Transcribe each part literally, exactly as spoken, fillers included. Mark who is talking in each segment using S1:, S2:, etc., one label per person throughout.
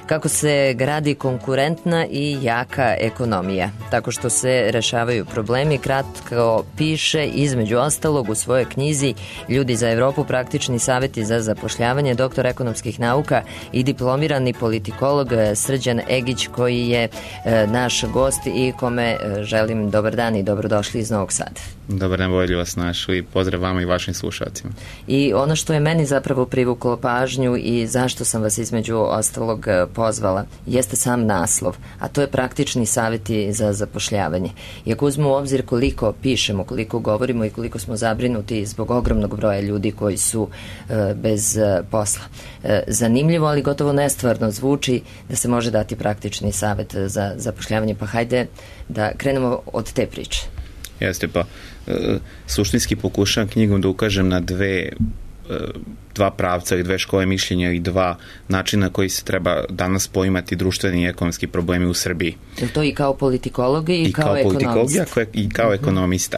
S1: kako se gradi konkurentna i jaka ekonomija, tako što se rešavaju problemi, kratko piše između ostalog u svojoj knjizi Ljudi za Evropu, praktični savjeti za zapošljavanje, doktor ekonomskih nauka i diplomirani politikolog Srđan Egić, koji je e, naš gost i kome e, želim dobar dan i dobrodošli iz Novog Sada.
S2: Dobar dan, bolje vas našli i pozdrav vama i vašim slušalcima.
S1: I ono što je meni zapravo privuklo pažnju i zašto sam vas između ostalog pozvala jeste sam naslov, a to je praktični savjeti za zapošljavanje. I ako uzmemo u obzir koliko pišemo, koliko govorimo i koliko smo zabrinuti zbog ogromnog broja ljudi koji su e, bez e, posla. E, zanimljivo, ali gotovo nestvarno zvuči da se može dati praktični savjet za zapošljavanje, pa hajde da krenemo od te priče.
S2: Jeste, pa e, suštinski pokušavam knjigom da ukažem na dve e, dva pravca i dve škole mišljenja i dva načina koji se treba danas poimati društveni i ekonomski problemi u Srbiji.
S1: Je to i kao politikolog i,
S2: I
S1: kao,
S2: kao
S1: ekonomista?
S2: I kao uh-huh. ekonomista.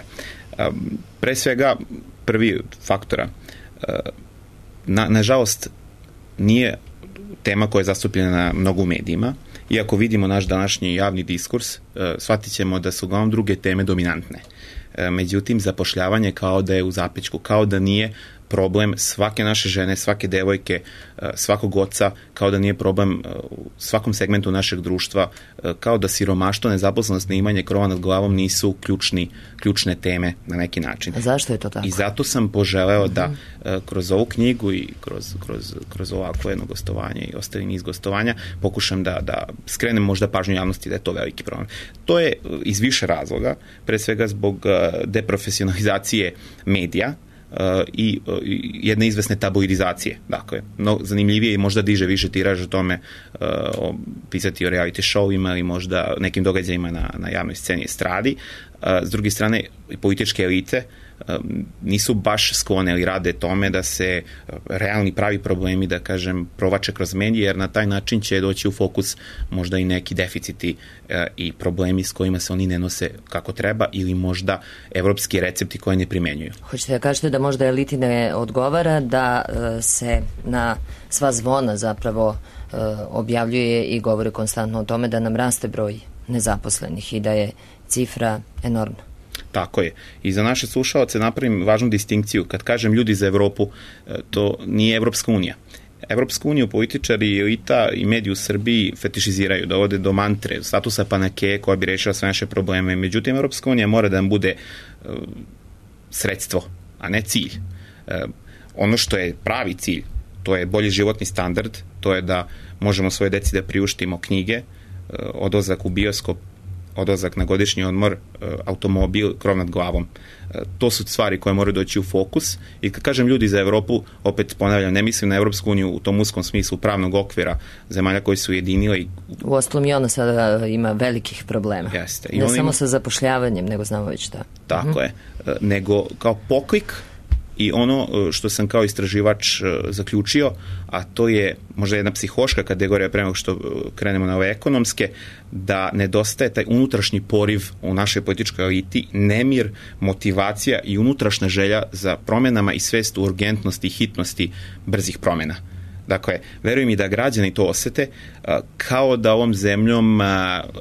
S2: Pre svega, prvi faktora, na, nažalost, nije tema koja je zastupljena na mnogo medijima. Iako vidimo naš današnji javni diskurs, shvatit ćemo da su uglavnom druge teme dominantne. Međutim, zapošljavanje kao da je u zapećku, kao da nije problem svake naše žene, svake devojke, svakog oca, kao da nije problem u svakom segmentu našeg društva, kao da siromaštvo, nezaposlenost, neimanje krova nad glavom nisu ključni, ključne teme na neki način.
S1: A zašto je to tako?
S2: I zato sam poželeo uh-huh. da kroz ovu knjigu i kroz, kroz, kroz ovako jedno gostovanje i ostali niz gostovanja pokušam da, da skrenem možda pažnju javnosti da je to veliki problem. To je iz više razloga, pre svega zbog deprofesionalizacije medija, Uh, i uh, jedne izvesne tabloidizacije. Dakle, no, zanimljivije i možda diže više tiraž o tome uh, o, pisati o reality showima ili možda nekim događajima na, na javnoj sceni estradi. Uh, s druge strane, političke elite uh, nisu baš sklone ili rade tome da se uh, realni pravi problemi, da kažem, provače kroz medije, jer na taj način će doći u fokus možda i neki deficiti uh, i problemi s kojima se oni ne nose kako treba ili možda evropski recepti koje ne primenjuju.
S1: Hoćete da kažete da možda eliti ne odgovara da uh, se na sva zvona zapravo uh, objavljuje i govori konstantno o tome da nam raste broj nezaposlenih i da je cifra enormna.
S2: Tako je. I za naše slušalce napravim važnu distinkciju. Kad kažem ljudi za Evropu, to nije Evropska unija. Evropsku uniju političari, elita i mediji u Srbiji fetišiziraju, dovode do mantre, statusa panakeje koja bi rešila sve naše probleme. Međutim, Evropska unija mora da nam bude uh, sredstvo, a ne cilj. Uh, ono što je pravi cilj, to je bolji životni standard, to je da možemo svoje deci da priuštimo knjige, uh, odlazak u bioskop, odlazak na godišnji odmor, automobil, krov nad glavom. To su stvari koje moraju doći u fokus i kad kažem ljudi za Evropu, opet ponavljam, ne mislim na Evropsku uniju u tom uskom smislu pravnog okvira zemalja koji su ujedinile. I...
S1: U ostalom i ona sada ima velikih problema.
S2: Jeste. I
S1: ne samo
S2: ima...
S1: sa zapošljavanjem, nego znamo već da.
S2: Tako
S1: uh-huh.
S2: je. Nego kao poklik i ono što sam kao istraživač zaključio, a to je možda jedna psihološka kategorija pre nego što krenemo na ove ekonomske, da nedostaje taj unutrašnji poriv u našoj političkoj eliti, nemir, motivacija i unutrašnja želja za promenama i svest u urgentnosti i hitnosti brzih promena. Dakle, verujem i da građani to osete, kao da ovom zemljom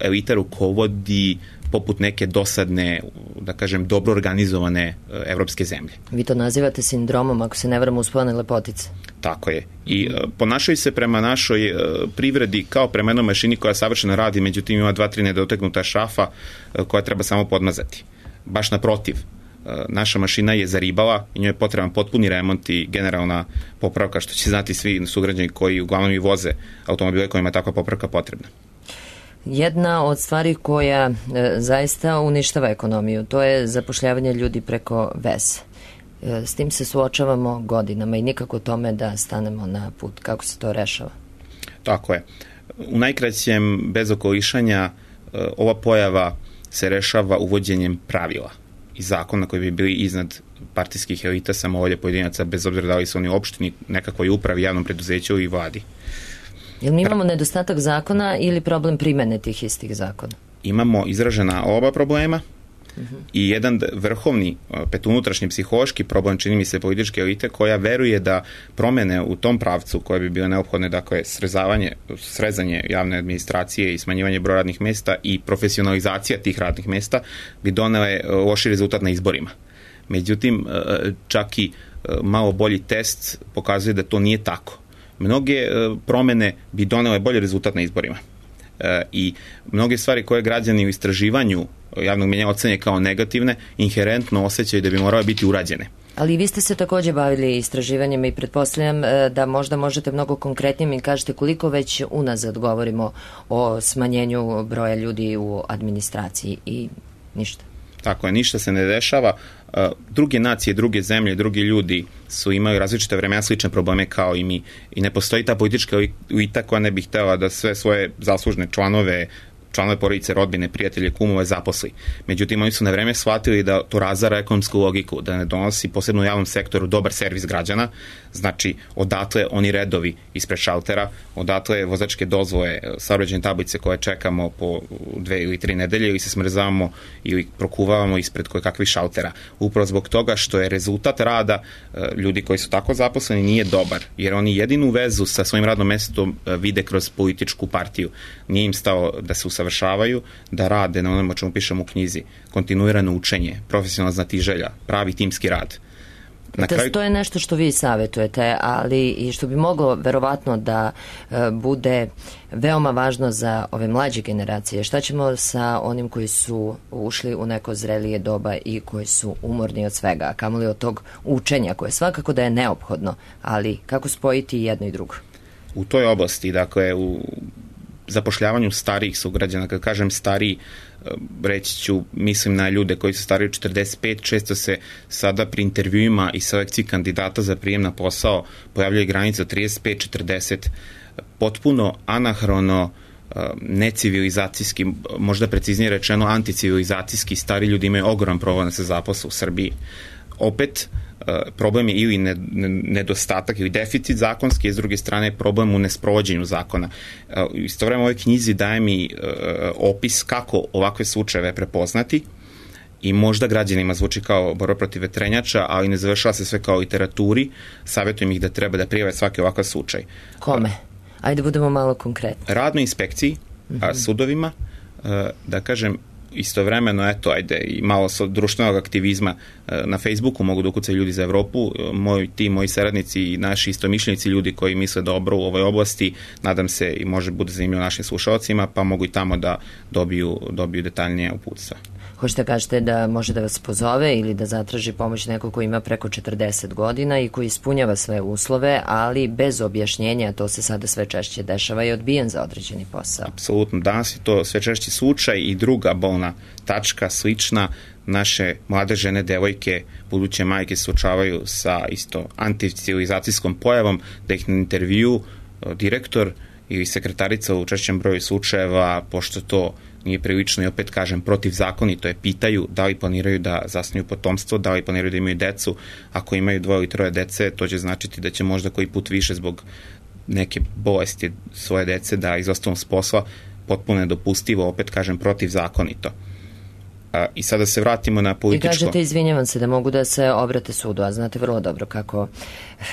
S2: elita rukovodi poput neke dosadne, da kažem, dobro organizovane evropske zemlje.
S1: Vi to nazivate sindromom, ako se ne varam, uspone lepotice.
S2: Tako je. I uh, ponašaju se prema našoj uh, privredi kao prema jednoj mašini koja savršeno radi, međutim ima dva, tri nedoteknuta šrafa uh, koja treba samo podmazati. Baš naprotiv. Uh, naša mašina je zaribala i njoj je potreban potpuni remont i generalna popravka, što će znati svi sugrađani koji uglavnom i voze automobile kojima je takva popravka potrebna.
S1: Jedna od stvari koja e, zaista uništava ekonomiju, to je zapošljavanje ljudi preko veze. E, s tim se suočavamo godinama i nikako tome da stanemo na put. Kako se to rešava?
S2: Tako je. U najkraćem, bez okolišanja, e, ova pojava se rešava uvođenjem pravila i zakona koji bi bili iznad partijskih elita, samovolje pojedinaca, bez obzira da li su oni u opštini, nekakvoj upravi, javnom preduzeću i vladi.
S1: Jel mi imamo nedostatak zakona ili problem primene tih istih zakona?
S2: Imamo izražena oba problema. Uh-huh. I jedan vrhovni, pet unutrašnji psihološki problem, čini mi se, političke elite, koja veruje da promene u tom pravcu koje bi bile neophodne, dakle srezavanje, srezanje javne administracije i smanjivanje broja radnih mesta i profesionalizacija tih radnih mesta bi donele loši rezultat na izborima. Međutim, čak i malo bolji test pokazuje da to nije tako. Mnoge promene bi donele bolji rezultat na izborima. I mnoge stvari koje građani u istraživanju javnog mnjenja ocene kao negativne, inherentno osjećaju da bi morale biti urađene.
S1: Ali vi ste se također bavili istraživanjima i pretpostavljam da možda možete mnogo konkretnije mi kažete koliko već unazad govorimo o smanjenju broja ljudi u administraciji i ništa. Tako
S2: je, ništa se ne dešava. Druge nacije, druge zemlje, drugi ljudi su imali različite vremena slične probleme kao i mi. I ne postoji ta politička elita koja ne bi htjela da sve svoje zaslužne članove članove porodice, rodbine, prijatelje, kumove zaposli. Međutim, oni su na vreme shvatili da to razara ekonomsku logiku, da ne donosi posebno u javnom sektoru dobar servis građana, znači odatle oni redovi ispred šaltera, odatle vozačke dozvole, saobraćajne tablice koje čekamo po dve ili tri nedelje ili se smrzavamo ili prokuvavamo ispred koje kakvih šaltera. Upravo zbog toga što je rezultat rada ljudi koji su tako zaposleni nije dobar, jer oni jedinu vezu sa svojim radnom mestom vide kroz političku partiju. Nije im stao da se usavršavaju, da rade na onom o čemu pišemo u knjizi, kontinuirano učenje, profesionalna znatiželja, pravi timski rad.
S1: Na kraju... To je nešto što vi savjetujete, ali i što bi moglo verovatno da e, bude veoma važno za ove mlađe generacije. Šta ćemo sa onim koji su ušli u neko zrelije doba i koji su umorni od svega, a kamoli od tog učenja koje svakako da je neophodno, ali kako spojiti jedno i drugo?
S2: U toj oblasti, dakle, u zapošljavanju starijih sugrađana, kad kažem stariji, reći ću, mislim na ljude koji su stariji od četrdeset pet, često se sada pri intervjuima i selekciji kandidata za prijem na posao pojavljaju granice od trideset pet četrdeset, potpuno anahrono, necivilizacijski, možda preciznije rečeno anticivilizacijski, stari ljudi imaju ogroman problem da se zaposle u Srbiji. Opet, problem je ili nedostatak ili deficit zakonski, a s druge strane problem u nesprovođenju zakona. Istovremeno u ovoj knjizi daje mi opis kako ovakve slučajeve prepoznati i možda građanima zvuči kao borba protiv vetrenjača, ali ne završava se sve kao literaturi. Savjetujem ih da treba da prijave svaki ovakav slučaj.
S1: Kome? Ajde budemo malo konkretni.
S2: Radnoj inspekciji, mm-hmm. sudovima, da kažem, istovremeno, eto, ajde, i malo društvenog aktivizma na Facebooku mogu da ukucaju ljudi za Evropu, moj tim, moji saradnici i naši istomišljenici, ljudi koji misle dobro u ovoj oblasti, nadam se i može bude zanimljivo našim slušalcima, pa mogu i tamo da dobiju, dobiju detaljnije uputstva.
S1: Hoćete kažete da može da vas pozove ili da zatraži pomoć neko ko ima preko četrdeset godina i koji ispunjava sve uslove, ali bez objašnjenja, to se sada sve češće dešava i odbijen za određeni posao.
S2: Apsolutno, danas je to sve češći slučaj i druga bolna tačka slična. Naše mlade žene, devojke, buduće majke suočavaju sa isto anticivilizacijskom pojavom da ih na intervju direktor ili sekretarica u češćem broju slučajeva, pošto to nije prilično i opet kažem protivzakonito je, pitaju da li planiraju da zasnuju potomstvo, da li planiraju da imaju decu. Ako imaju dvoje ili troje dece, to će značiti da će možda koji put više zbog neke bolesti svoje dece da izostanu s posla, potpuno nedopustivo, opet kažem protivzakonito. A, I sada se vratimo na političko...
S1: I kažete, izvinjavam se, da mogu da se obrate sudu, a znate vrlo dobro kako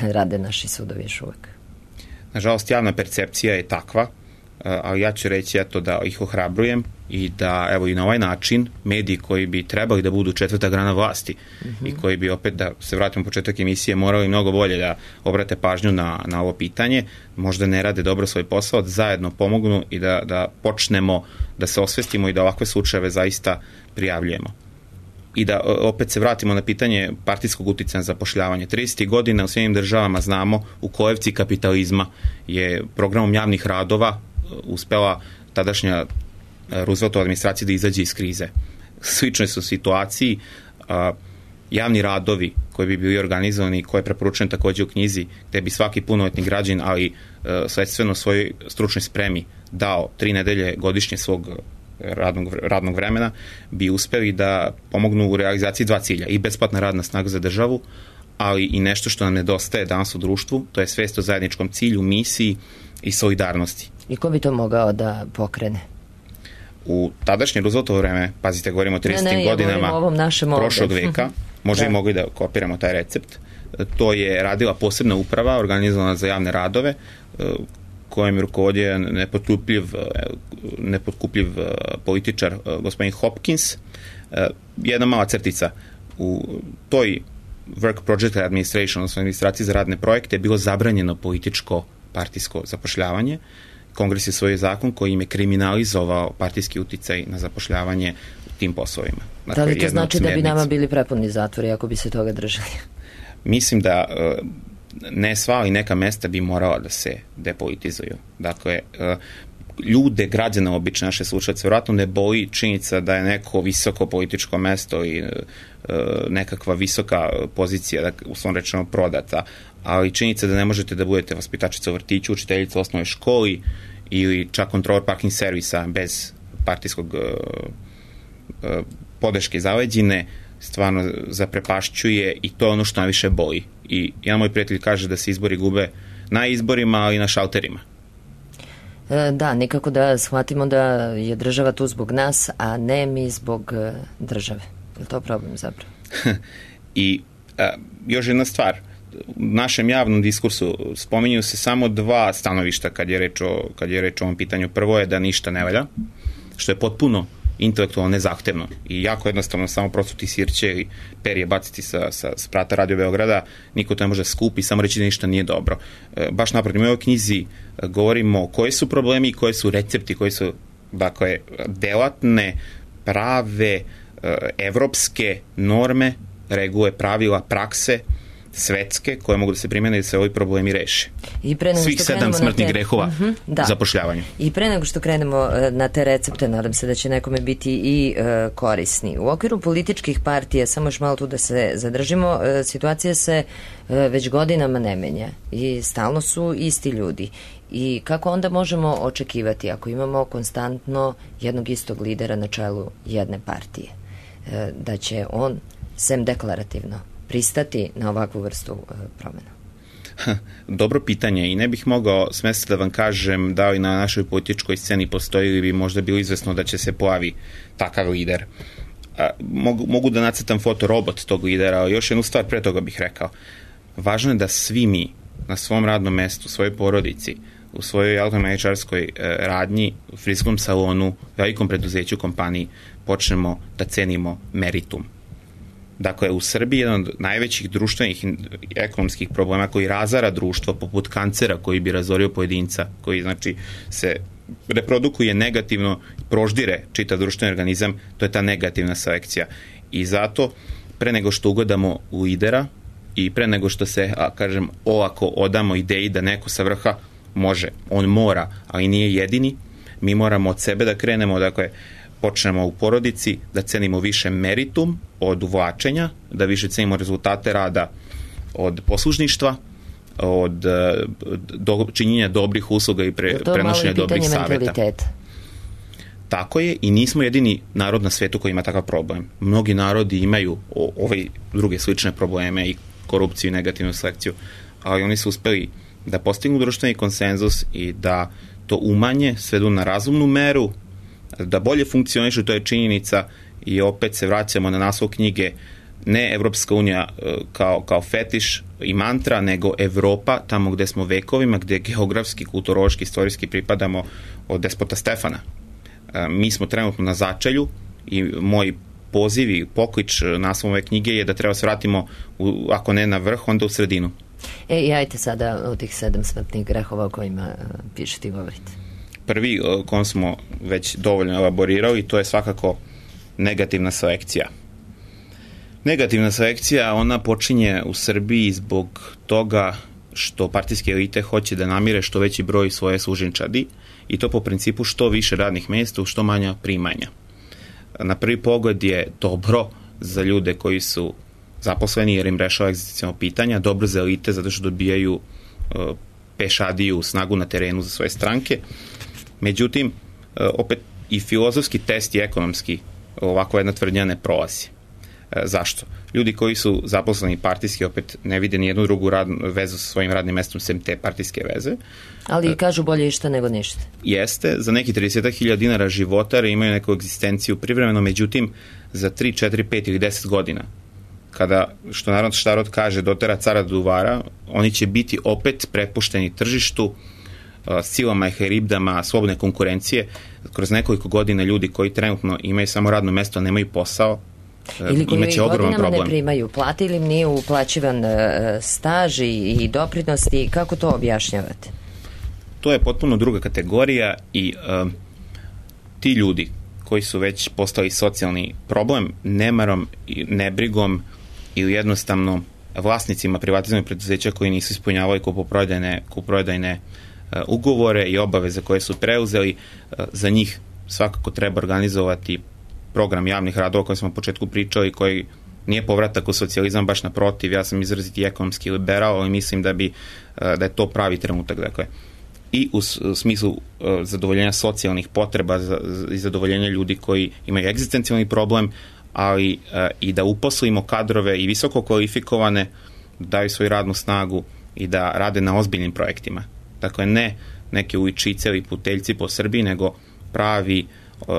S1: rade naši sudovi još uvek.
S2: Nažalost, javna percepcija je takva, ali ja ću reći eto da ih ohrabrujem i da evo i na ovaj način mediji koji bi trebali da budu četvrta grana vlasti mm-hmm. i koji bi opet, da se vratimo početak emisije, morali mnogo bolje da obrate pažnju na, na ovo pitanje, možda ne rade dobro svoj posao, da zajedno pomognu i da, da počnemo da se osvestimo i da ovakve slučajeve zaista prijavljujemo. I da opet se vratimo na pitanje partijskog uticaja na zapošljavanje. tridesetih godina u svim državama znamo u kolevci kapitalizma je programom javnih radova uspela tadašnja Rooseveltova administracija da izađe iz krize. Slične su situaciji, a, javni radovi koji bi bili organizovani, koje je preporučeno također u knjizi, gde bi svaki punoletni građanin, ali a, sledstveno svojoj stručnoj spremi dao tri nedelje godišnje svog radnog, radnog vremena, bi uspeli da pomognu u realizaciji dva cilja, i besplatna radna snaga za državu, ali i nešto što nam nedostaje danas u društvu, to je svest o zajedničkom cilju, misiji i solidarnosti.
S1: I ko bi to mogao da pokrene?
S2: U tadašnje Rooseveltovo vreme, pazite, govorimo o tridesetim godinama prošlog veka, možda i mogli da kopiramo taj recept, to je radila posebna uprava organizovana za javne radove, kojem je rukovodio nepotkupljiv, nepotkupljiv političar gospodin Hopkins. Jedna mala crtica, u toj Work Project Administration, odnosno administraciji za radne projekte, je bilo zabranjeno političko partijsko zapošljavanje. Kongres je svoj zakon koji im je kriminalizovao partijski uticaj na zapošljavanje u tim poslovima.
S1: Dakle, da li to znači da bi nama bili prepuni zatvori ako bi se toga držali?
S2: Mislim da ne sva, ali neka mesta bi morala da se depolitizuju. Dakle, ljude, građana obične naše slušalce, vjerojatno ne boli činjenica da je neko visoko političko mesto i nekakva visoka pozicija, u svom rečeno prodata, ali činjenica da ne možete da budete vaspitačica u vrtiću, učiteljica u osnovnoj školi ili čak kontrolor parking servisa bez partijskog podrške zaleđine, stvarno zaprepašćuje i to je ono što najviše boli. I jedan moj prijatelj kaže da se izbori gube na izborima, ali i na šalterima.
S1: Da, nikako da shvatimo da je država tu zbog nas, a ne mi zbog države. Je li to problem zapravo?
S2: I a, još jedna stvar, u našem javnom diskursu spominju se samo dva stanovišta kad je reč o, kad je reč o ovom pitanju. Prvo je da ništa ne valja, što je potpuno intelektualno nezahtevno i jako jednostavno samo prosuti sirće i perje baciti sa, sa sprata Radio Beograda, niko to ne može skupi, samo reći da ništa nije dobro. E, baš naprotiv, u ovoj knjizi govorimo koji su problemi i koji su recepti, koji su, dakle, delatne, prave, evropske norme, regule, pravila, prakse, svetske, koje mogu da se primene i da se ovi problemi reše.
S1: I pre nego
S2: Svih
S1: što
S2: sedam smrtnih
S1: te...
S2: grehova uh-huh, da. zapošljavanju.
S1: I pre nego što krenemo na te recepte, nadam se da će nekome biti i uh, korisni. U okviru političkih partija, samo još malo tu da se zadržimo, uh, situacija se uh, već godinama ne menja i stalno su isti ljudi. I kako onda možemo očekivati ako imamo konstantno jednog istog lidera na čelu jedne partije, uh, da će on, sem deklarativno, pristati na ovakvu vrstu uh, promjena?
S2: Dobro pitanje i ne bih mogao smesta da vam kažem da li na našoj političkoj sceni postoji ili bi možda bilo izvesno da će se pojavi takav lider. A, mogu, mogu da nacrtam fotorobot tog lidera, ali još jednu stvar pre toga bih rekao. Važno je da svi mi na svom radnom mestu, u svojoj porodici, u svojoj automehaničarskoj e, radnji, u frizskom salonu, velikom preduzeću, kompaniji, počnemo da cenimo meritum. Dakle, u Srbiji jedan od najvećih društvenih i ekonomskih problema koji razara društvo, poput kancera koji bi razorio pojedinca, koji znači se reprodukuje negativno, proždire čitav društveni organizam, to je ta negativna selekcija. I zato, pre nego što ugledamo lidera i pre nego što se, a, kažem, olako odamo ideji da neko sa vrha može, on mora, ali nije jedini, mi moramo od sebe da krenemo, dakle, počnemo u porodici, da cenimo više meritum od uvlačenja, da više cenimo rezultate rada od poslušništva, od do, činjenja dobrih usluga i pre, prenošenja dobrih saveta. Tako je i nismo jedini narod na svetu koji ima takav problem. Mnogi narodi imaju o, ove druge slične probleme i korupciju i negativnu selekciju, ali oni su uspeli da postignu društveni konsenzus i da to umanje, svedu na razumnu meru, da bolje funkcionišu, to je činjenica i opet se vraćamo na naslov knjige, ne Evropska unija kao, kao fetiš i mantra, nego Evropa, tamo gde smo vekovima, gde geografski, kulturološki, istorijski pripadamo od despota Stefana. Mi smo trenutno na začelju i moj poziv i poklič naslovom ove knjige je da treba se vratimo, u, ako ne na vrh, onda u sredinu.
S1: E, i ajte sada o tih sedam smrtnih grehova o kojima pišete i govorite.
S2: Prvi, kom smo već dovoljno elaborirali, to je svakako negativna selekcija. Negativna selekcija, ona počinje u Srbiji zbog toga što partijske elite hoće da namire što veći broj svoje služenčadi i to po principu što više radnih mjesta u što manja primanja. Na prvi pogled je dobro za ljude koji su zaposleni jer im rešava egzistencijalno pitanja, dobro za elite zato što dobijaju uh, pešadiju, snagu na terenu za svoje stranke. Međutim, opet i filozofski test i ekonomski ovako jedna tvrdnja ne prolazi. Zašto? Ljudi koji su zaposleni partijski opet ne vide ni jednu drugu radnu vezu sa svojim radnim mestom sem te partijske veze.
S1: Ali kažu bolje išta nego ništa.
S2: Jeste, za neki trideset hiljada dinara životare imaju neku egzistenciju privremeno, međutim za tri, četiri, pet ili deset godina, kada, što narod štarod kaže, dotera cara do duvara, oni će biti opet prepušteni tržištu, silama i heribdama slobodne konkurencije. Kroz nekoliko godina ljudi koji trenutno imaju samo radno mesto, nemaju posao,
S1: ili koji godinama problem. Ne primaju plate ili im nije uplaćivan staž i doprinosti, kako to objašnjavate?
S2: To je potpuno druga kategorija i uh, ti ljudi koji su već postali socijalni problem nemarom, nebrigom ili jednostavno vlasnicima privatizovanih preduzeća koji nisu ispunjavali kupoprodajne, kupoprodajne uh, ugovore i obaveze koje su preuzeli, uh, za njih svakako treba organizovati program javnih radova koji smo u početku pričali, koji nije povratak u socijalizam, baš naprotiv. Ja sam izraziti ekonomski liberal, ali mislim da bi da je to pravi trenutak, dakle, i u smislu zadovoljenja socijalnih potreba i zadovoljenja ljudi koji imaju egzistencijalni problem, ali i da uposlimo kadrove i visoko kvalifikovane, da daju svoju radnu snagu i da rade na ozbiljnim projektima. Dakle, ne neke uličice ili puteljci po Srbiji, nego pravi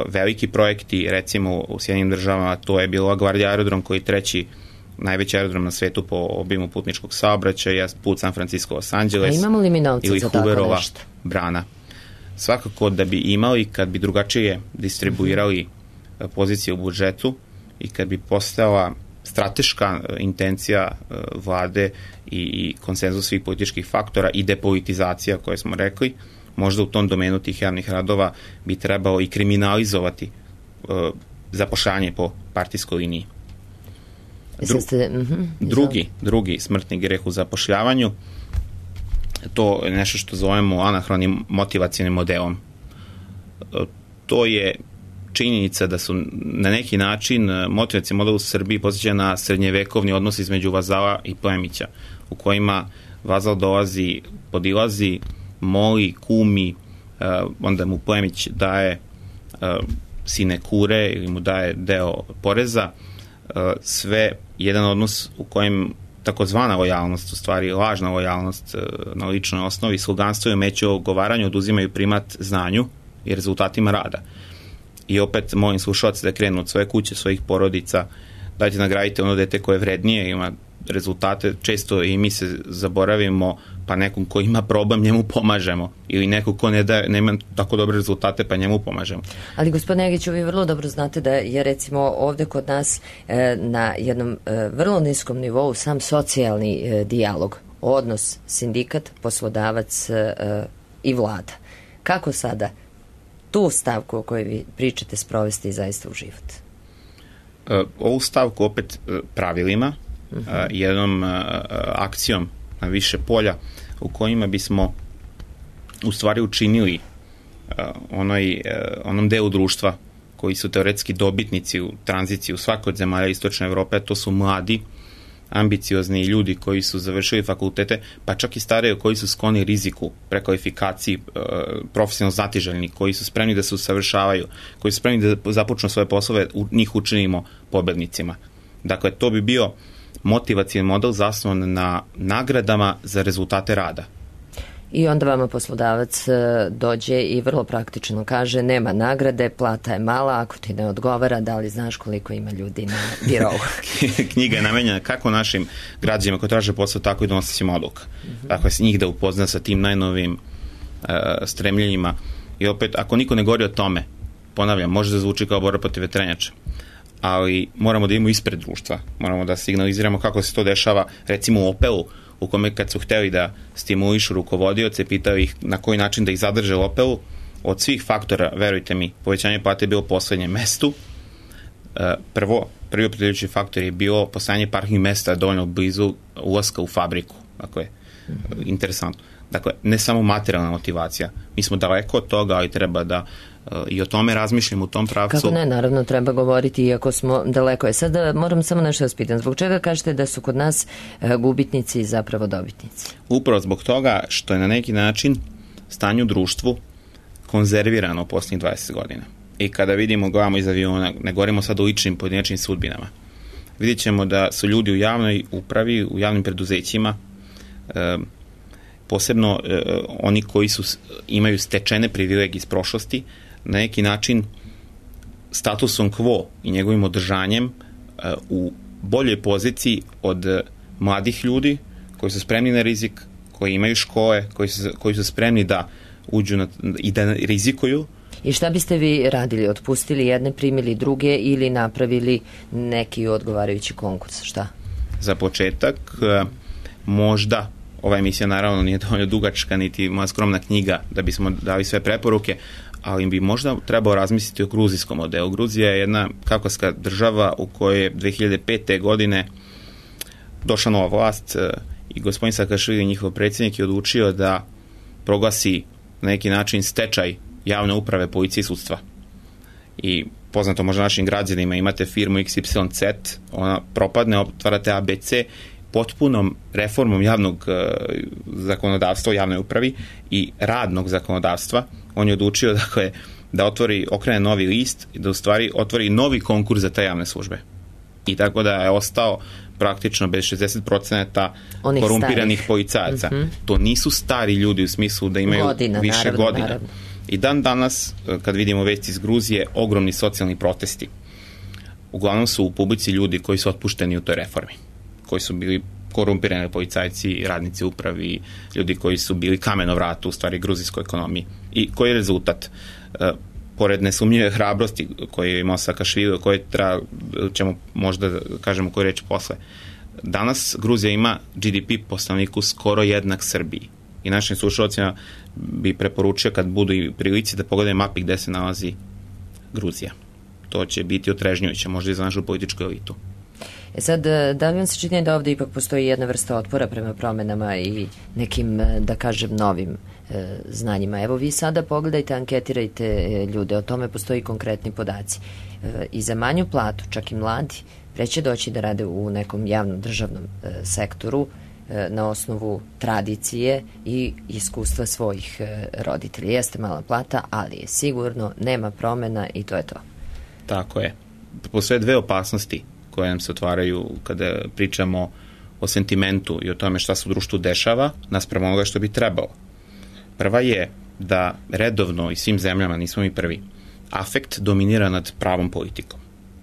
S2: veliki projekti, recimo u Sjedinjenim državama to je bilo LaGuardia aerodrom, koji je treći najveći aerodrom na svetu po obimu putničkog saobraćaja, put San Francisco Los Angeles,
S1: a imamo li mi novca za tako nešto?
S2: Brana. Svakako da bi imali, kad bi drugačije distribuirali pozicije u budžetu i kad bi postala strateška intencija vlade i, i konsenzus svih političkih faktora i depolitizacija koje smo rekli, možda u tom domenu tih javnih radova bi trebalo i kriminalizovati uh, zapošljavanje po partijskoj liniji. Dru, drugi, drugi smrtni greh u zapošljavanju, to je nešto što zovemo anahronim motivacijnim modelom. Uh, to je činjenica da su na neki način motivacijni model u Srbiji posjeća na srednjevekovni odnos između vazala i plemića, u kojima vazal dolazi, podilazi, moli, kumi, uh, onda mu plemić daje uh, sinekure ili mu daje deo poreza, uh, sve jedan odnos u kojem takozvana lojalnost, u stvari lažna lojalnost uh, na ličnoj osnovi, sluganstvo i umeće o ogovaranju oduzimaju primat znanju i rezultatima rada. I opet molim slušalce da krenu od svoje kuće, svojih porodica, dajte nagradite ono dete koje je vrednije, ima rezultate, često i mi se zaboravimo, pa nekom ko ima problem njemu pomažemo, ili neko ko ne da, nema tako dobre rezultate pa njemu pomažemo.
S1: Ali gospodine Negiću, vi vrlo dobro znate da je recimo ovde kod nas e, na jednom e, vrlo niskom nivou sam socijalni e, dijalog, odnos sindikat, poslodavac e, i vlada. Kako sada tu stavku o kojoj vi pričate sprovesti zaista u život?
S2: E, ovu stavku opet e, pravilima, uh -huh. e, jednom e, akcijom na više polja u kojima bismo u stvari učinili uh, onoj, uh, onom delu društva koji su teoretski dobitnici u tranziciji u svakoj od zemalja Istočne Evrope, to su mladi, ambiciozni ljudi koji su završili fakultete, pa čak i stariji koji su skloni riziku, prekvalifikaciji, uh, profesionalno znatiželjni, koji su spremni da se usavršavaju, koji su spremni da započnu svoje poslove, u, njih učinimo pobednicima. Dakle, to bi bio motivacijan model zasnovan na nagradama za rezultate rada.
S1: I onda vama poslodavac dođe i vrlo praktično kaže nema nagrade, plata je mala, ako ti ne odgovara, da li znaš koliko ima ljudi na birovu?
S2: Knjiga je namenjena kako našim građanima koji traže posao, tako i donosicima odluka. Uh-huh. Dakle, se njih da upozna sa tim najnovim uh, stremljenjima. I opet, ako niko ne govori o tome, ponavljam, može da zvuči kao borba protiv vetrenjača, ali moramo da imamo ispred društva, moramo da signaliziramo kako se to dešava, recimo u Opelu, u kome kad su hteli da stimulišu rukovodioce, pitao ih na koji način da ih zadrže u Opelu, od svih faktora, verujte mi, povećanje plate je bilo u poslednjem mestu. Prvo, prvi opredjeljujući faktor je bilo postojanje parking mesta dovoljno blizu ulaska u fabriku. Dakle, mm-hmm. interesantno. Dakle, ne samo materijalna motivacija. Mi smo daleko od toga, ali treba da uh, i o tome razmišljamo u tom pravcu.
S1: Kako ne, naravno treba govoriti, iako smo daleko. Je sada moram samo nešto da spitam. Zbog čega kažete da su kod nas uh, gubitnici zapravo dobitnici?
S2: Upravo zbog toga što je na neki način stanje u društvu konzervirano u posljednjih dvadeset godina. I kada vidimo, gledamo iz aviona, ne govorimo sad o ličnim pojedinačnim sudbinama, vidjet ćemo da su ljudi u javnoj upravi, u javnim preduzećima, e, posebno e, oni koji su, imaju stečene privilegije iz prošlosti, na neki način statusom quo i njegovim održanjem e, u boljoj poziciji od mladih ljudi koji su spremni na rizik, koji imaju škole, koji su, koji su spremni da uđu na, i da rizikuju.
S1: I šta biste vi radili? Otpustili jedne, primili druge ili napravili neki odgovarajući konkurs? Šta?
S2: Za početak, možda, ova emisija naravno nije dovoljno dugačka, niti moja skromna knjiga da bismo dali sve preporuke, ali bi možda trebao razmisliti o gruzijskom modelu. Gruzija je jedna kaukaska država u kojoj je dve hiljade pete. godine došla nova vlast i gospodin Sakašvili, njihov predsjednik, je odlučio da proglasi na neki način stečaj javne uprave, policije i sudstva. I poznato možda našim građanima, imate firmu X Y Z, ona propadne, otvarate A B C, potpunom reformom javnog uh, zakonodavstva u javnoj upravi i radnog zakonodavstva. On je odlučio dakle, da otvori, okrene novi list i da u stvari otvori novi konkurs za te javne službe. I tako da je ostao praktično bez šezdeset posto
S1: onih
S2: korumpiranih
S1: starih
S2: policajaca.
S1: Mm-hmm.
S2: To nisu stari ljudi u smislu da imaju
S1: godina,
S2: više
S1: naravno,
S2: godina.
S1: Naravno.
S2: I dan danas, kad vidimo vesti iz Gruzije, ogromni socijalni protesti. Uglavnom su u publici ljudi koji su otpušteni u toj reformi, koji su bili korumpirani policajci, radnici upravi, ljudi koji su bili kameno vrato u stvari gruzijskoj ekonomiji. I koji je rezultat? E, pored nesumnjive hrabrosti koje je imao Sakašvili, o kojoj treba, ćemo možda kažemo koju reći posle. Danas Gruzija ima G D P po stanovniku skoro jednak Srbiji. I našim slušalcima bi preporučio kad budu i prilici da pogledaju mapi gde se nalazi Gruzija. To će biti otrežnjujuće, možda i za našu političku elitu.
S1: E sad, da li vam se čini da ovde ipak postoji jedna vrsta otpora prema promenama i nekim, da kažem, novim e, znanjima? Evo, vi sada pogledajte, anketirajte ljude, o tome postoji konkretni podaci. E, I za manju platu, čak i mladi, preće doći da rade u nekom javnom državnom e, sektoru e, na osnovu tradicije i iskustva svojih e, roditelja. Jeste mala plata, ali je sigurno, nema promena i to je to.
S2: Tako je. Postoje dve opasnosti koje nam se otvaraju kada pričamo o sentimentu i o tome šta se u društvu dešava naspram onoga što bi trebalo. Prva je da redovno i svim zemljama, nismo mi prvi, afekt dominira nad pravom politikom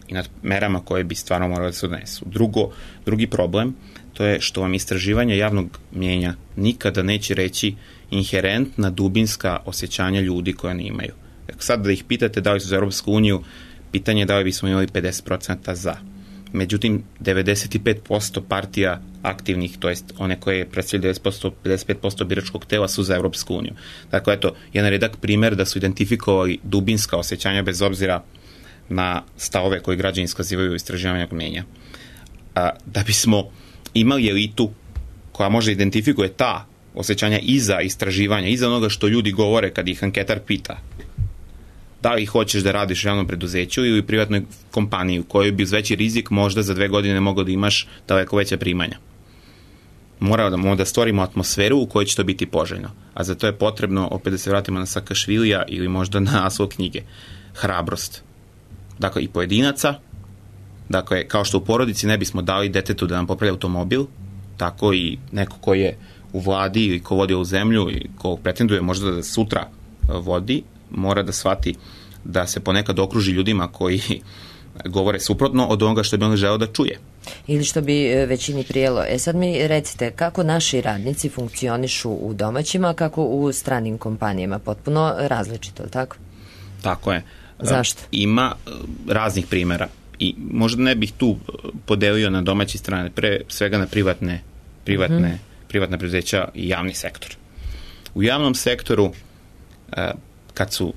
S2: i nad merama koje bi stvarno morali da se odnesu. Drugo, drugi problem, to je što vam istraživanje javnog mnjenja nikada neće reći inherentna dubinska osjećanja ljudi koje ne imaju. Sad da ih pitate da li su za Europsku uniju, pitanje je da li bismo imali pedeset posto za. Međutim, devedeset pet posto partija aktivnih, to jest one koje predstavljaju devedeset posto, pedeset pet posto biračkog tela su za Europsku uniju. Dakle, eto, jedan redak primer da su identifikovali dubinska osjećanja bez obzira na stavove koje građani iskazivaju u istraživanju mnjenja. A, da bismo imali elitu koja može identifikuje ta osjećanja iza istraživanja, iza onoga što ljudi govore kad ih anketar pita da li hoćeš da radiš u javnom preduzeću ili u privatnoj kompaniji u kojoj bi uz veći rizik možda za dve godine mogao da imaš daleko veća primanja. Moramo da, moramo da stvorimo atmosferu u kojoj će to biti poželjno. A za to je potrebno, opet da se vratimo na Sakašvilija ili možda na naslov knjige, hrabrost. Dakle, i pojedinaca, dakle, kao što u porodici ne bismo dali detetu da nam popravi automobil, tako i neko ko je u vladi ili ko vodi ovu zemlju i ko pretenduje možda da sutra vodi, mora da shvati da se ponekad okruži ljudima koji govore suprotno od onoga što bi on želeo da čuje.
S1: Ili što bi većini prijelo. E sad mi recite, kako naši radnici funkcionišu u domaćima, kako u stranim kompanijama? Potpuno različito, tako?
S2: Tako je.
S1: Zašto?
S2: Ima raznih primjera i možda ne bih tu podelio na domaće strane, pre svega na privatne, privatne, mm-hmm. privatne preduzeća i javni sektor. U javnom sektoru kad su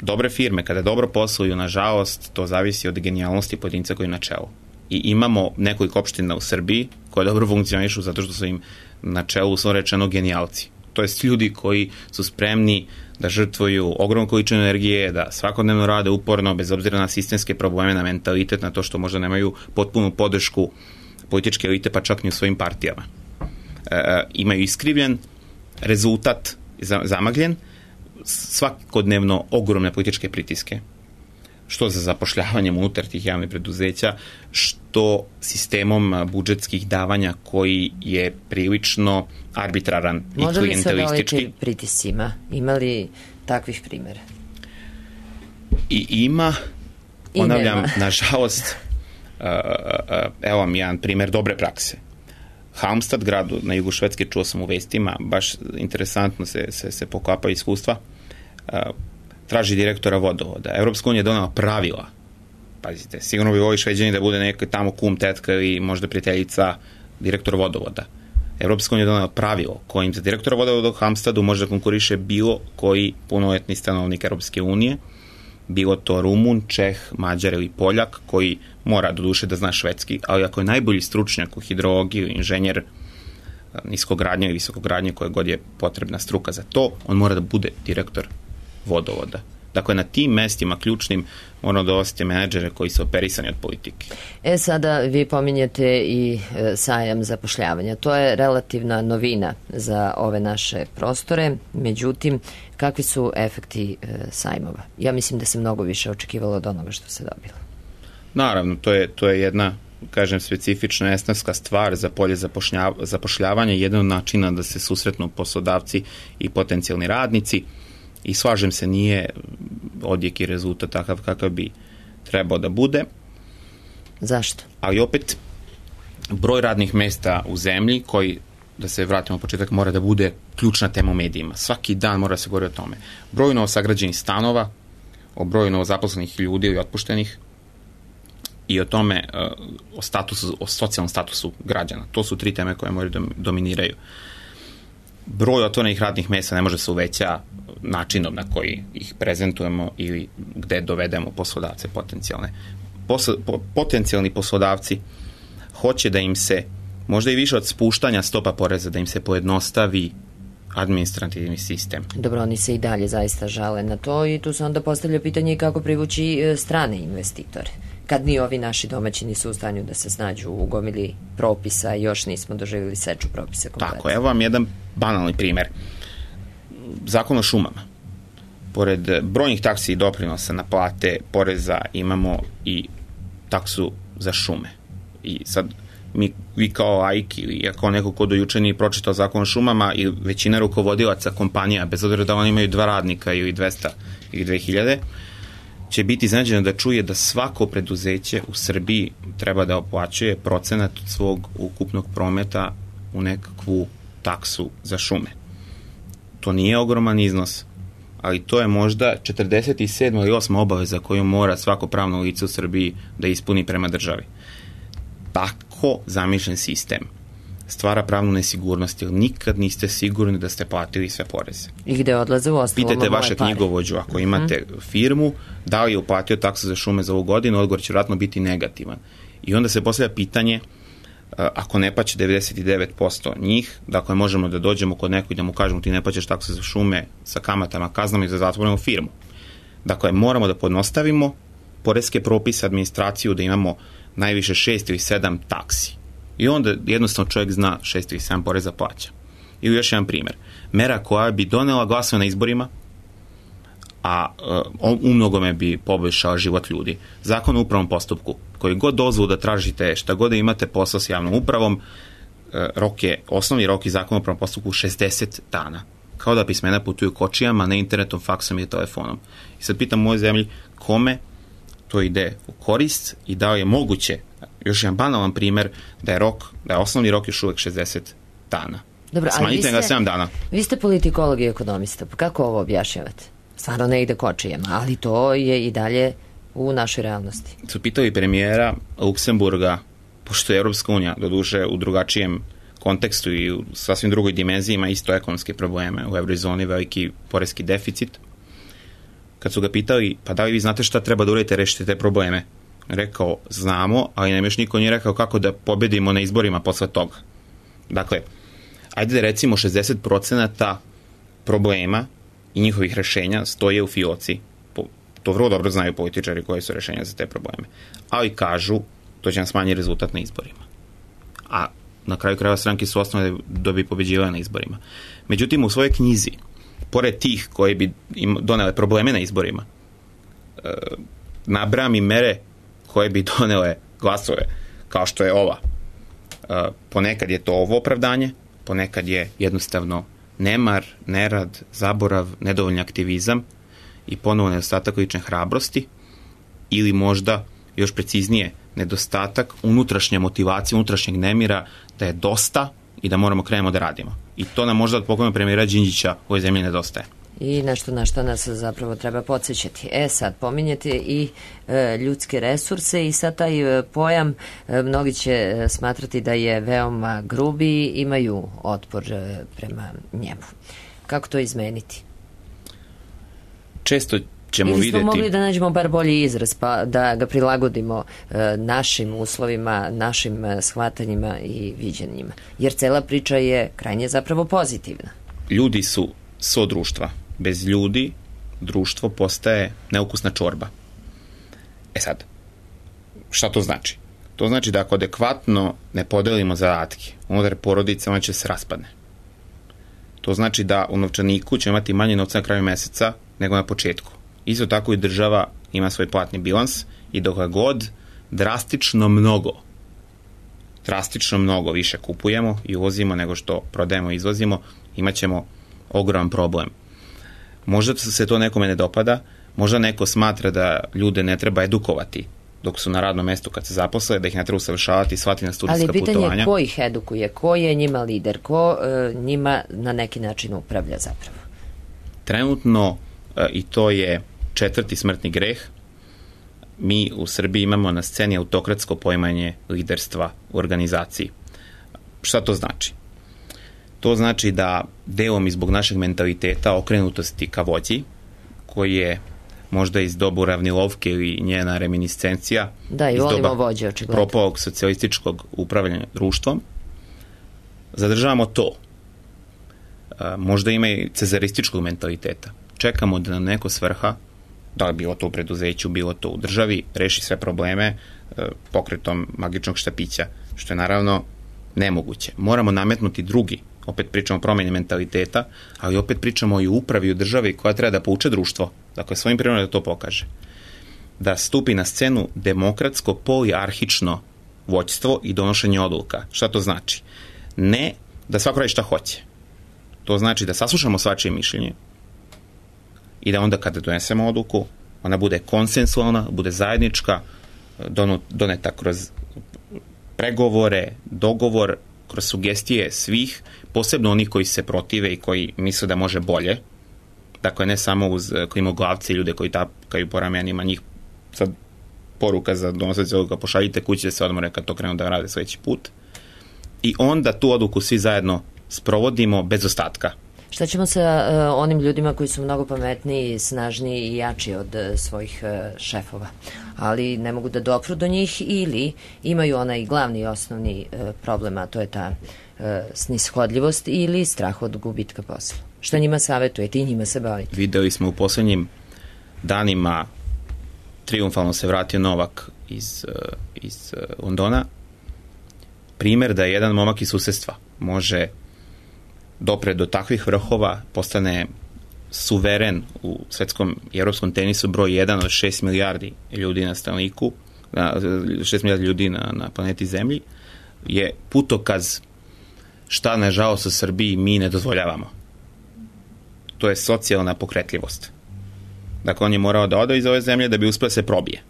S2: dobre firme, kada dobro posluju, nažalost, to zavisi od genijalnosti pojedinca koji je na čelu. I imamo nekoliko opština u Srbiji koje dobro funkcionišu zato što su im na čelu, uslovno rečeno, genijalci. To jest ljudi koji su spremni da žrtvuju ogromnu količinu energije, da svakodnevno rade uporno, bez obzira na sistemske probleme, na mentalitet, na to što možda nemaju potpunu podršku političke elite, pa čak ni u svojim partijama. E, imaju iskrivljen rezultat, zamagljen, svakodnevno ogromne političke pritiske, što za zapošljavanjem unutar tih javnih preduzeća, što sistemom budžetskih davanja koji je prilično arbitraran i
S1: može
S2: klijentelistički.
S1: Može li se pritiscima? Ima li takvih primjera?
S2: I ima, ponavljam, nažalost, evo vam jedan primjer dobre prakse. Halmstad, gradu na jugu Švedske, čuo sam u vestima, baš interesantno se, se, se pokapa iskustva, traži direktora vodovoda. Evropska unija je donela pravila. Pazite, sigurno bi ovi Šveđani da bude neka tamo kum, tetka ili možda prijateljica direktor vodovoda. Evropska unija je donela pravilo kojim za direktora vodovoda u Halmstadu može da konkuriše bilo koji punoletni stanovnik Evropske unije, bilo to Rumun, Čeh, Mađar ili Poljak, koji mora do duše da zna švedski, ali ako je najbolji stručnjak u hidrologiji, inženjer niskogradnje ili visokogradnje, koja god je potrebna struka za to, on mora da bude direktor vodovoda. Dakle, na tim mestima ključnim moramo da ostite menadžere koji su operisani od politike.
S1: E, sada vi pominjete i e, sajam zapošljavanja. To je relativna novina za ove naše prostore. Međutim, kakvi su efekti e, sajmova? Ja mislim da se mnogo više očekivalo od onoga što se dobilo.
S2: Naravno, to je, to je jedna, kažem, specifična esnavska stvar za polje zapošljavanja, jedan od načina da se susretnu poslodavci i potencijalni radnici. I slažem se, nije odjek i rezultat takav kakav bi trebao da bude.
S1: Zašto?
S2: Ali opet, broj radnih mesta u zemlji, koji, da se vratimo u početak, mora da bude ključna tema u medijima. Svaki dan mora se govori o tome. Broj novosagrađenih stanova, o broju novozaposlenih ljudi ili otpuštenih i o tome, o statusu, o socijalnom statusu građana. To su tri teme koje moraju da dominiraju. Broj otvorenih radnih mesta ne može se uveća načinom na koji ih prezentujemo ili gde dovedemo poslodavce potencijalne. Posl, po, potencijalni poslodavci hoće da im se, možda i više od spuštanja stopa poreza, da im se pojednostavi administrativni sistem.
S1: Dobro, oni se i dalje zaista žale na to i tu se onda postavlja pitanje kako privući strane investitore. Kad ni ovi naši domaći nisu u stanju da se snađu u gomili propisa i još nismo doživjeli seču propisa kompletno.
S2: Tako, evo vam jedan banalni primer. Zakon o šumama. Pored brojnih taksi i doprinosa na plate poreza imamo i taksu za šume. I sad mi, vi kao laik ili kao neko ko do juče nije pročitao zakon o šumama i većina rukovodilaca kompanija, bez obzira da oni imaju dva radnika ili dvesta ili dve hiljade, će biti iznenađeno da čuje da svako preduzeće u Srbiji treba da oplaćuje procenat od svog ukupnog prometa u nekakvu taksu za šume. To nije ogroman iznos, ali to je možda četrdeset sedma ili osma obaveza koju mora svako pravno lice u Srbiji da ispuni prema državi. Tako zamišljen sistem stvara pravnu nesigurnost, jer nikad niste sigurni da ste platili sve poreze.
S1: I gde odlaze u ostalo?
S2: Pitajte vaše knjigovođu, ako imate mm-hmm. firmu, da li je uplatio taksu za šume za ovu godinu, odgovor će vjerojatno biti negativan. I onda se postavlja pitanje, ako ne plaća devedeset devet posto njih, dakle možemo da dođemo kod nekog i da mu kažemo ti ne plaćaš taksu za šume sa kamatama, kaznama i za zatvorenu firmu. Dakle, moramo da podnostavimo poreske propise, administraciju, da imamo najviše šest ili sedam taksi. I onda jednostavno čovjek zna šest ili sedam poreza plaća. Ili još jedan primjer. Mera koja bi donela glasove na izborima, a uh, u mnogome bi poboljšala život ljudi. Zakon o upravnom postupku, koji god dozvolu da tražite, šta god da imate posao s javnom upravom, uh, rok je, osnovni rok je zakon o upravnom postupku šezdeset dana. Kao da pismena putuju kočijama, ne internetom, faksom i telefonom. I sad pitam u mojoj zemlji, kome to ide u korist i da li je moguće, još jedan banalan primjer, da je rok, da je osnovni rok još uvek šezdeset dana.
S1: Dobro,
S2: smanjite ga sedam dana.
S1: Vi ste politikolog i ekonomista, pa kako ovo objašnjavate? Stvarno ne ide kočijama, ali to je i dalje u našoj realnosti.
S2: Su pitali premijera Luksemburga, pošto je Evropska unija doduše u drugačijem kontekstu i u sasvim drugoj dimenziji ima isto ekonomske probleme, u eurozoni veliki poreski deficit. Kad su ga pitali, pa da li vi znate šta treba da uradite, rešite te probleme? Rekao, znamo, ali nam još niko nije rekao kako da pobedimo na izborima posle toga. Dakle, ajde da recimo šezdeset procenata problema i njihovih rešenja stoje u fioci. To vrlo dobro znaju političari koji su rešenja za te probleme. Ali kažu, to će nam smanjiti rezultat na izborima. A na kraju krajeva stranke su osnovne da bi pobeđivale na izborima. Međutim, u svojoj knjizi, pored tih koji bi im donele probleme na izborima, nabrajam i mere koje bi donele glasove, kao što je ova. Ponekad je to ovo opravdanje, ponekad je jednostavno nemar, nerad, zaborav, nedovoljni aktivizam i ponovo nedostatak lične hrabrosti, ili možda još preciznije nedostatak unutrašnje motivacije, unutrašnjeg nemira da je dosta i da moramo krenemo da radimo. I to nam možda od pokojnog premijera Đinđića u ovoj zemlji nedostaje.
S1: I nešto na što nas zapravo treba podsjećati. E sad, pominjete i e, ljudske resurse i sad taj e, pojam e, mnogi će e, smatrati da je veoma grubi, imaju otpor e, prema njemu. Kako to izmeniti?
S2: Često ćemo
S1: Ili smo
S2: vidjeti...
S1: mogli da nađemo bar bolji izraz, pa da ga prilagodimo e, našim uslovima, našim e, shvatanjima i viđenjima. Jer cela priča je krajnje zapravo pozitivna.
S2: Ljudi su so društva. Bez ljudi društvo postaje neukusna čorba. E sad, šta to znači? To znači da ako adekvatno ne podelimo zadatke unutar porodice, ona će se raspadne. To znači da u novčaniku će imati manje novca na kraju meseca nego na početku. Isto tako i država ima svoj platni bilans i dok god drastično mnogo drastično mnogo više kupujemo i uvozimo nego što prodajemo i izvozimo, imat ćemo ogroman problem. Možda se to nekome ne dopada, možda neko smatra da ljude ne treba edukovati dok su na radnom mestu kad se zaposle, da ih ne treba usavršavati i svati na studijska putovanja.
S1: Ali pitanje je ko ih edukuje, ko je njima lider, ko e, njima na neki način upravlja zapravo?
S2: Trenutno, e, i to je četvrti smrtni greh, mi u Srbiji imamo na sceni autokratsko poimanje liderstva u organizaciji. Šta to znači? To znači da delom i zbog našeg mentaliteta okrenutosti ka vođi, koji je možda iz doba Uravnilovke ili njena reminiscencija,
S1: da, i
S2: iz doba
S1: vođe, očigledno.
S2: propalog socijalističkog upravljanja društvom, zadržavamo to. A, možda ima i cezarističkog mentaliteta. Čekamo da nam neko svrha, da li bilo to u preduzeću, bilo to u državi, reši sve probleme a, pokretom magičnog štapića, što je naravno nemoguće. Moramo nametnuti drugi. Opet pričamo o promjeni mentaliteta, ali opet pričamo i o upravi u državi koja treba da pouče društvo, dakle svojim primjerom da to pokaže. Da stupi na scenu demokratsko poliarhično vođstvo i donošenje odluka. Šta to znači? Ne da svako radi šta hoće. To znači da saslušamo svačije mišljenje i da onda kada donesemo odluku, ona bude konsensualna, bude zajednička, doneta kroz pregovore, dogovor, kroz sugestije svih, posebno onih koji se protive i koji misle da može bolje. Dakle, ne samo uz klimoglavci, ljude koji tapkaju po ramenima, njih sad poruka za donosajući odluka, pošaljite kući da se odmore kad to krenu da rade sledeći put. I onda tu odluku svi zajedno sprovodimo bez ostatka.
S1: Šta ćemo sa uh, onim ljudima koji su mnogo pametniji, snažniji i jači od uh, svojih uh, šefova, ali ne mogu da dopru do njih ili imaju onaj glavni i osnovni uh, problem, a to je ta uh, snishodljivost ili strah od gubitka posla? Šta njima savjetujete i njima se bavite?
S2: Videli smo u poslednjim danima, triumfalno se vratio Novak iz, uh, iz uh, Londona, primer da jedan momak iz susedstva može dopre do takvih vrhova, postane suveren u svetskom i evropskom tenisu broj jedan od šest milijardi ljudi na stanovniku, šest milijardi ljudi na, na planeti Zemlji, je putokaz šta, nažalost, u Srbiji mi ne dozvoljavamo. To je socijalna pokretljivost. Dakle, on je morao da ode iz ove zemlje da bi uspio da se probije.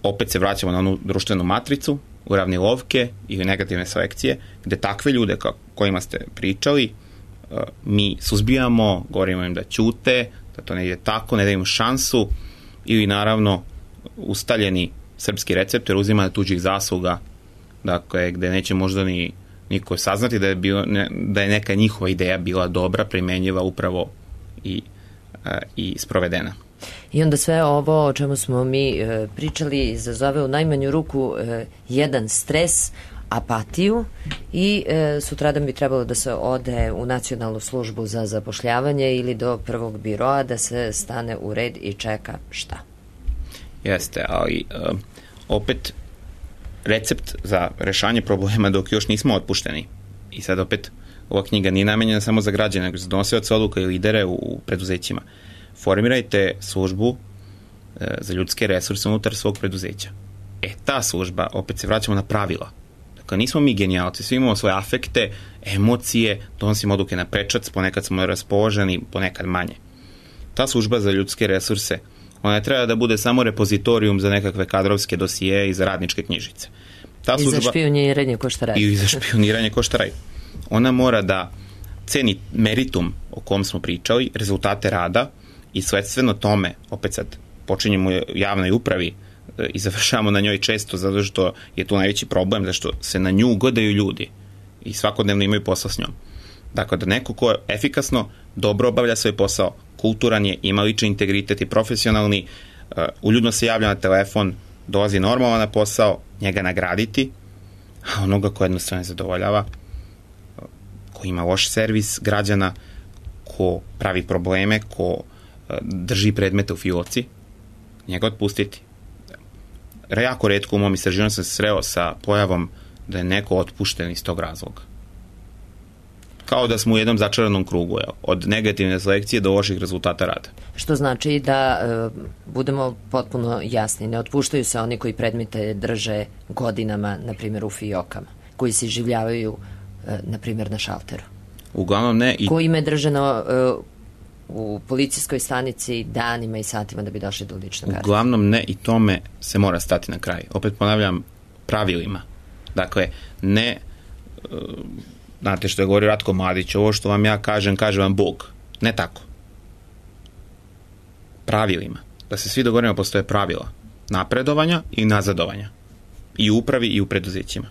S2: Opet se vraćamo na onu društvenu matricu, uravnilovke ili negativne selekcije, gde takve ljude kojima ste pričali, mi suzbijamo, govorimo im da ćute, da to ne ide tako, ne da im šansu, ili naravno ustaljeni srpski recept, jer uzima tuđih zasluga, dakle, gde neće možda ni niko saznati da je, bilo, ne, da je neka njihova ideja bila dobra, primenjiva upravo i, i sprovedena.
S1: I onda sve ovo o čemu smo mi e, pričali izazove u najmanju ruku e, jedan stres, apatiju i e, sutradan bi trebalo da se ode u Nacionalnu službu za zapošljavanje ili do prvog biroa da se stane u red i čeka šta?
S2: Jeste, ali e, opet recept za rešanje problema dok još nismo otpušteni. I sad opet ova knjiga nije namenjena samo za građane, nego za donosioce odluka i lidere u, u preduzećima. Formirajte službu za ljudske resurse unutar svog preduzeća. E, ta služba, opet se vraćamo na pravila. Dakle, nismo mi genijalci, svi imamo svoje afekte, emocije, donosimo odluke na prečac, ponekad smo raspoloženi, ponekad manje. Ta služba za ljudske resurse, ona ne treba da bude samo repozitorijum za nekakve kadrovske dosije i za radničke knjižice. Ta služba,
S1: I za špioniranje ko šta radi.
S2: I za špioniranje ko šta radi. Ona mora da ceni meritum o kom smo pričali, rezultate rada i sledstveno tome, opet sad počinjemo u javnoj upravi i završavamo na njoj često zato što je to najveći problem, zašto se na nju ugodaju ljudi i svakodnevno imaju posla s njom. Dakle, da neko ko efikasno, dobro obavlja svoj posao, kulturan je, ima lični integritet i profesionalni, uljudno se javlja na telefon, dolazi normalno na posao, njega nagraditi, a onoga ko jednostavno ne zadovoljava, ko ima loš servis građana, ko pravi probleme, ko drži predmete u fioci, njega otpustiti. Jako retko u mom istraživanju sam se sreo sa pojavom da je neko otpušten iz tog razloga. Kao da smo u jednom začaranom krugu, jel? Od negativne selekcije do loših rezultata rada.
S1: Što znači da e, budemo potpuno jasni, ne otpuštaju se oni koji predmete drže godinama, na primjer u fiokama, koji se življavaju, e, na primjer, na šalteru.
S2: Uglavnom ne. I...
S1: Koji ime drže na, e, u policijskoj stanici danima i satima da bi došli do lične karte.
S2: Uglavnom ne, i tome se mora stati na kraj. Opet ponavljam, pravilima. Dakle, ne... E, znate što je govorio Ratko Mladić, ovo što vam ja kažem, kaže vam Bog. Ne tako. Pravilima. Da se svi dogovorimo, postoje pravila napredovanja i nazadovanja. I u upravi i u preduzećima.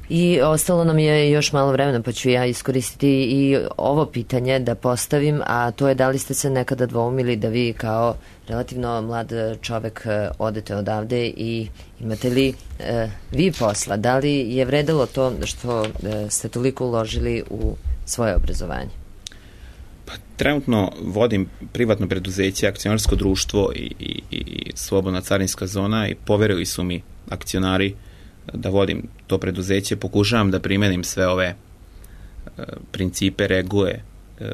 S1: I ostalo nam je još malo vremena, pa ću ja iskoristiti i ovo pitanje da postavim, a to je da li ste se nekada dvoumili da vi kao relativno mlad čovek odete odavde i imate li e, vi posla? Da li je vredelo to što e, ste toliko uložili u svoje obrazovanje?
S2: Pa, trenutno vodim privatno preduzeće, akcionarsko društvo i, i, i slobodna carinska zona i poverili su mi akcionari da vodim to preduzeće, pokušavam da primenim sve ove e, principe, regule, e,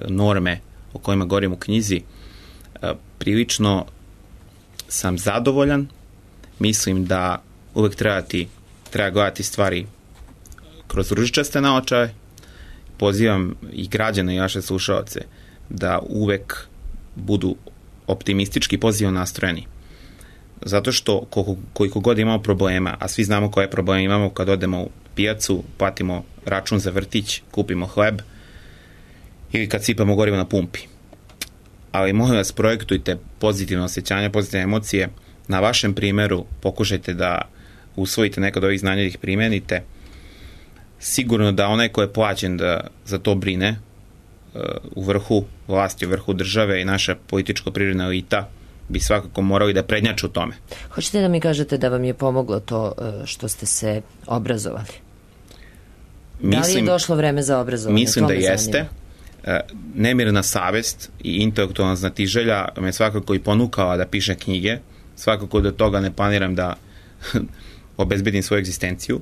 S2: norme o kojima govorim u knjizi. E, prilično sam zadovoljan, mislim da uvek trebati, treba gledati stvari kroz ružičaste naočare. Pozivam i građane i vaše slušaoce da uvek budu optimistički, pozitivno nastrojeni. Zato što koliko, koliko god imamo problema, a svi znamo koje probleme imamo kad odemo u pijacu, platimo račun za vrtić, kupimo hleb ili kad sipamo gorivo na pumpi. Ali molim vas, projektujte pozitivno osjećanje, pozitivne emocije. Na vašem primjeru pokušajte da usvojite neka od ovih znanja i ih primenite. Sigurno da onaj ko je plaćen da za to brine u vrhu vlasti, u vrhu države i naša političko-privredna elita bi svakako morali da prednjače u tome.
S1: Hoćete da mi kažete da vam je pomoglo to što ste se obrazovali? Mislim, da li je došlo vreme za obrazovanje?
S2: Mislim da jeste. Zanima. Nemirna savest i intelektualna znatiželja me svakako i ponukala da pišem knjige. Svakako da toga ne planiram da obezbedim svoju egzistenciju.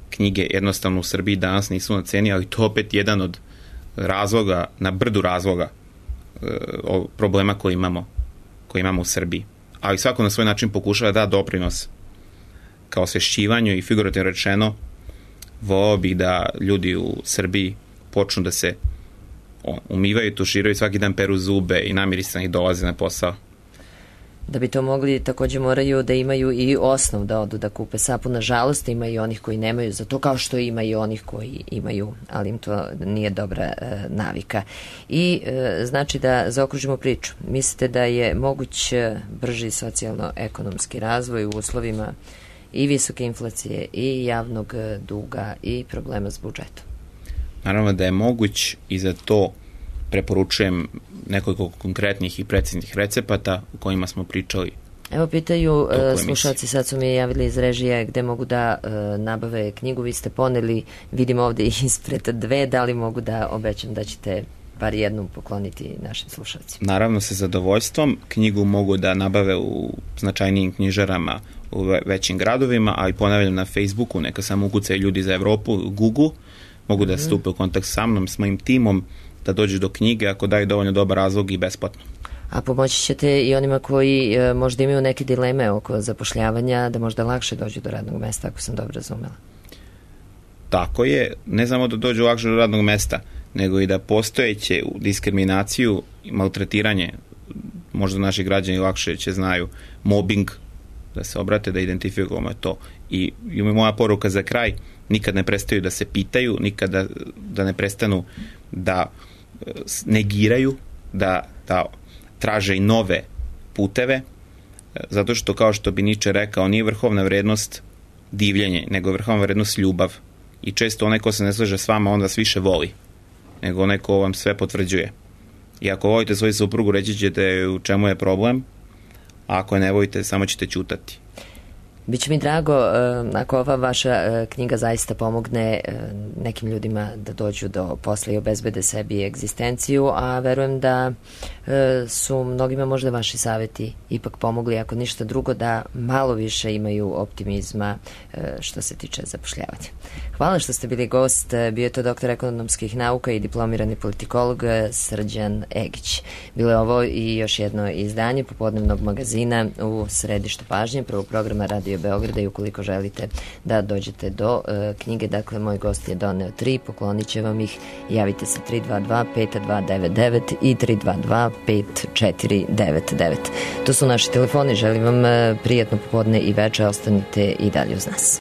S2: Knjige jednostavno u Srbiji danas nisu na ceni, ali to opet jedan od razloga, na brdu razloga problema koji imamo koji imamo u Srbiji. Ali svako na svoj način pokušava da da doprinos kao osvešćivanju i figurativno rečeno volao bih da ljudi u Srbiji počnu da se umivaju, tuširaju, svaki dan peru zube i namirisani dolaze na posao.
S1: Da bi to mogli, takođe moraju da imaju i osnov da odu da kupe sapun. Nažalost, ima i onih koji nemaju za to, kao što ima i onih koji imaju, ali im to nije dobra e, navika. I e, znači da zaokružimo priču. Mislite da je moguć brži socijalno-ekonomski razvoj u uslovima i visoke inflacije i javnog duga i problema s budžetom?
S2: Naravno da je moguć i za to preporučujem nekoliko konkretnih i preciznih recepata u kojima smo pričali.
S1: Evo pitaju slušalci, sad su mi javili iz režije gde mogu da e, nabave knjigu. Vi ste poneli, vidim ovde ispred dve, da li mogu da obećam da ćete bar jednu pokloniti našim slušalcima? Naravno, sa zadovoljstvom. Knjigu mogu da nabave u značajnijim knjižarama u većim gradovima, ali ponavljam na Facebooku, neka samo ukucaju ljudi za Evropu, Google, mogu da stupe u kontakt sa mnom, s mojim timom, da dođu do knjige ako daju dovoljno dobar razlog i besplatno. A pomoći ćete i onima koji e, možda imaju neke dileme oko zapošljavanja, da možda lakše dođu do radnog mesta, ako sam dobro razumela.
S2: Tako je, ne samo da dođu lakše do radnog mesta, nego i da postojeće diskriminaciju i maltretiranje, možda naši građani lakše će znaju, mobbing, da se obrate, da identifikujemo to. I, i moja poruka za kraj, nikad ne prestaju da se pitaju, nikad da, da ne prestanu da negiraju, da, da traže i nove puteve, zato što, kao što bi Niče rekao, nije vrhovna vrednost divljenje, nego je vrhovna vrednost ljubav. I često onaj ko se ne slaže s vama, on vas više voli, nego onaj ko vam sve potvrđuje. I ako volite svoju suprugu, reći ćete u čemu je problem, a ako ne volite, samo ćete ćutati.
S1: Biće mi drago ako ova vaša knjiga zaista pomogne nekim ljudima da dođu do posla i obezbede sebi egzistenciju, a verujem da su mnogima možda vaši savjeti ipak pomogli, ako ništa drugo, da malo više imaju optimizma što se tiče zapošljavanja. Hvala što ste bili gost. Bio je to doktor ekonomskih nauka i diplomirani politikolog Srđan Egić. Bilo je ovo i još jedno izdanje popodnevnog magazina u središtu pažnje prvog programa Radio Beograda, i ukoliko želite da dođete do uh, knjige, dakle, moj gost je doneo tri, poklonit će vam ih. Javite se tri dva dva pet dva devet devet i tri dva dva pet četiri devet devet. To su naši telefoni. Želim vam uh, prijatno popodne i veče. Ostanite i dalje uz nas.